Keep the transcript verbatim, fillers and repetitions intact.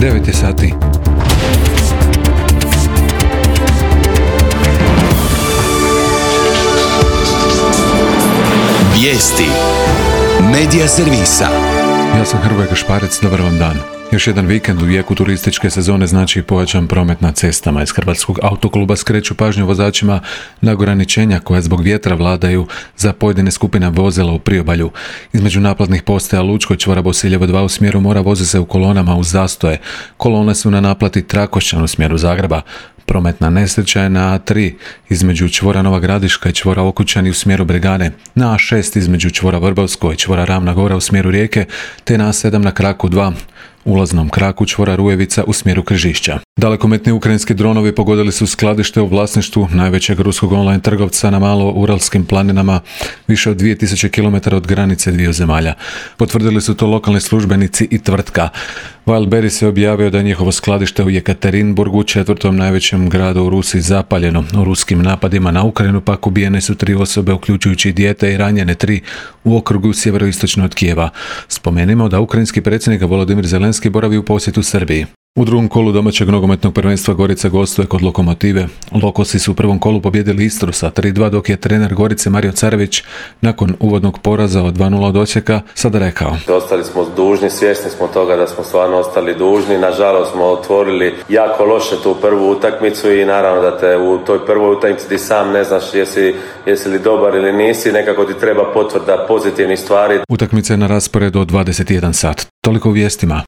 devet je sati. Vijesti Medija servisa. Ja sam Hrvoje Gašparec, dobar vam dan. Još jedan vikend u jeku turističke sezone znači pojačan promet na cestama. Iz Hrvatskog autokluba skreću pažnju vozačima na ograničenja koja zbog vjetra vladaju za pojedine skupine vozila u priobalju. Između naplatnih postaja Lučko i čvora Bosiljevo dva u smjeru mora voze se u kolonama uz zastoje. Kolone su na naplati Trakošćan u smjeru Zagreba. Prometna nesreća je na A tri između čvora Nova Gradiška i čvora Okučani u smjeru Bregane, na A šest između čvora Vrbovsko i čvora Ravna Gora u smjeru Rijeke, te na A sedam na kraku dva, ulaznom kraku čvora Rujevica u smjeru Križišća. Dalekometni ukrajinski dronovi pogodili su skladište u vlasništvu najvećeg ruskog online trgovca na malo Uralskim planinama, više od dvije tisuće kilometara od granice dviju zemalja. Potvrdili su to lokalni službenici i tvrtka. Wildberries je objavio da je njihovo skladište u Jekaterinburgu, četvrtom najvećem gradu u Rusiji, zapaljeno. U ruskim napadima na Ukrajinu pak ubijene su tri osobe, uključujući dijete, i ranjene tri u okrugu sjeveroistočno od Kijeva. Spomenimo da ukrajinski predsjednik Volodimir Zelenski boravi u posjetu Srbiji. U drugom kolu domaćeg nogometnog prvenstva Gorica gostuje kod Lokomotive. Lokosi su u prvom kolu pobjedili Istru sa tri dva, dok je trener Gorice Mario Carević nakon uvodnog poraza od dva nula od Osijeka sada rekao: Ostali smo dužni, svjesni smo toga da smo stvarno ostali dužni. Nažalost smo otvorili jako loše tu prvu utakmicu i naravno da te u toj prvoj utakmici ti sam ne znaš jesi, jesi li dobar ili nisi, nekako ti treba potvrda pozitivnih stvari. Utakmica je na rasporedu od dvadeset jedan sat. Toliko u vijestima.